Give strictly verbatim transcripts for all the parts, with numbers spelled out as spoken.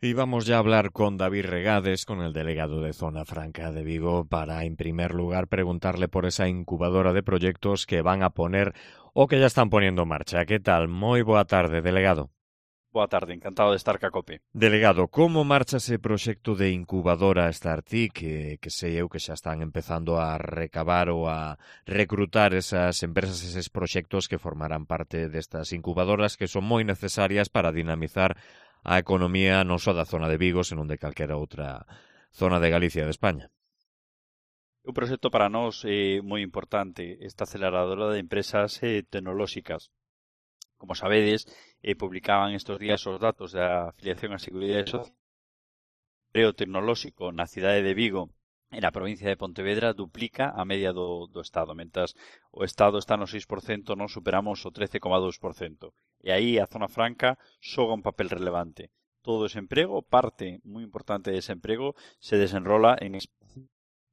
Y vamos ya a hablar con David Regades, con el delegado de Zona Franca de Vigo, para, en primer lugar, preguntarle por esa incubadora de proyectos que van a poner o que ya están poniendo en marcha. ¿Qué tal? Moi boa tarde, delegado. Boa tarde, encantado de estar ca COPE. Delegado, como marcha ese proxecto de incubadora Startic, que, que sei eu que xa están empezando a recabar ou a recrutar esas empresas, eses proxectos que formarán parte destas incubadoras que son moi necesarias para dinamizar a economía non só da zona de Vigo, senón de calquera outra zona de Galicia e de España? Un proxecto para nós é moi importante, esta aceleradora de empresas eh, tecnolóxicas. Como sabedes, eh, publicaban estes días os datos da afiliación á Seguridade Social. O emprego tecnolóxico na cidade de Vigo e na provincia de Pontevedra duplica a media do, do Estado, mentras o Estado está no seis por cento, non superamos o trece coma dous por cento. E aí a zona franca xoga un papel relevante. Todo ese emprego, parte moi importante dese emprego, se desenrola en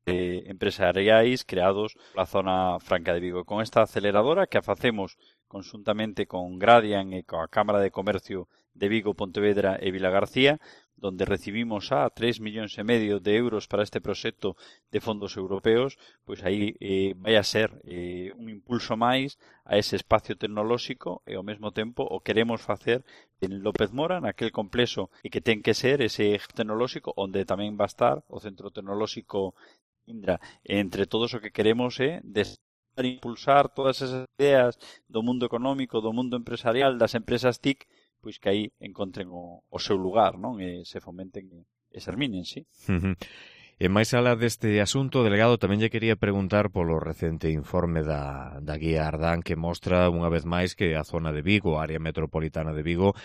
eh, empresariais creados pola zona franca de Vigo. Con esta aceleradora que a facemos conxuntamente con Gradian e coa Cámara de Comercio de Vigo, Pontevedra e Vilagarcía, donde recibimos a tres millóns e medio de euros para este proxecto de fondos europeos, pois aí eh, vai a ser eh, un impulso máis a ese espacio tecnolóxico e ao mesmo tempo o queremos facer en López Mora, naquel complexo e que ten que ser ese tecnolóxico onde tamén va a estar o Centro Tecnolóxico Indra. Entre todos o que queremos é desarrollar e impulsar todas esas ideas do mundo económico, do mundo empresarial, das empresas T I C, pois que aí encontren o, o seu lugar, non? E se fomenten e, e serminen, sí. Uh-huh. E máis alá deste asunto, delegado, tamén lle quería preguntar polo recente informe da, da Guía Ardán que mostra unha vez máis que a zona de Vigo, a área metropolitana de Vigo,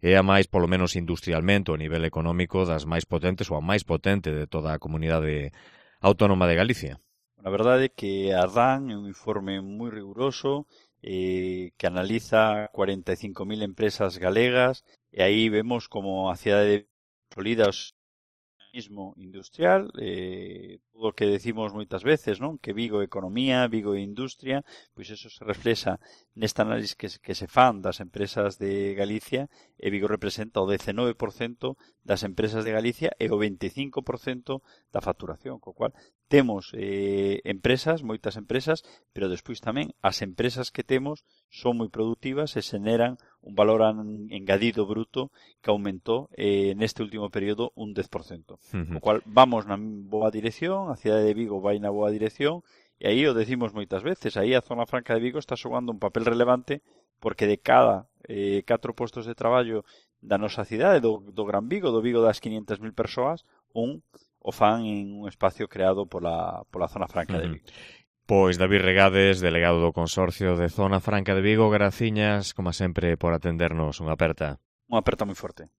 é a máis, polo menos industrialmente, o nivel económico das máis potentes ou a máis potente de toda a comunidade autónoma de Galicia. A verdade é que Ardán é un informe moi riguroso, eh, que analiza cuarenta e cinco mil empresas galegas e aí vemos como a cidade consolida o mismo industrial, eh, todo o que decimos moitas veces, non? Que Vigo é economía, Vigo é industria, pois eso se reflexa nesta análise que, que se fan das empresas de Galicia e Vigo representa o dezenove por cento das empresas de Galicia e o veinticinco por cento da facturación, co cual temos eh, empresas, moitas empresas, pero despois tamén as empresas que temos son moi productivas e xeneran un valor engadido bruto que aumentou eh, neste último período un dez por cento. Uh-huh. O cual vamos na boa dirección, a cidade de Vigo vai na boa dirección e aí o decimos moitas veces, aí a zona franca de Vigo está xogando un papel relevante porque de cada eh, catro postos de traballo da nosa cidade, do, do Gran Vigo, do Vigo das quinhentas mil persoas, un o fan en un espacio creado pola, pola zona franca uh-huh. de Vigo. Pois David Regades, delegado do Consorcio de Zona Franca de Vigo, graciñas, como sempre, por atendernos. Unha aperta. Unha aperta moi forte.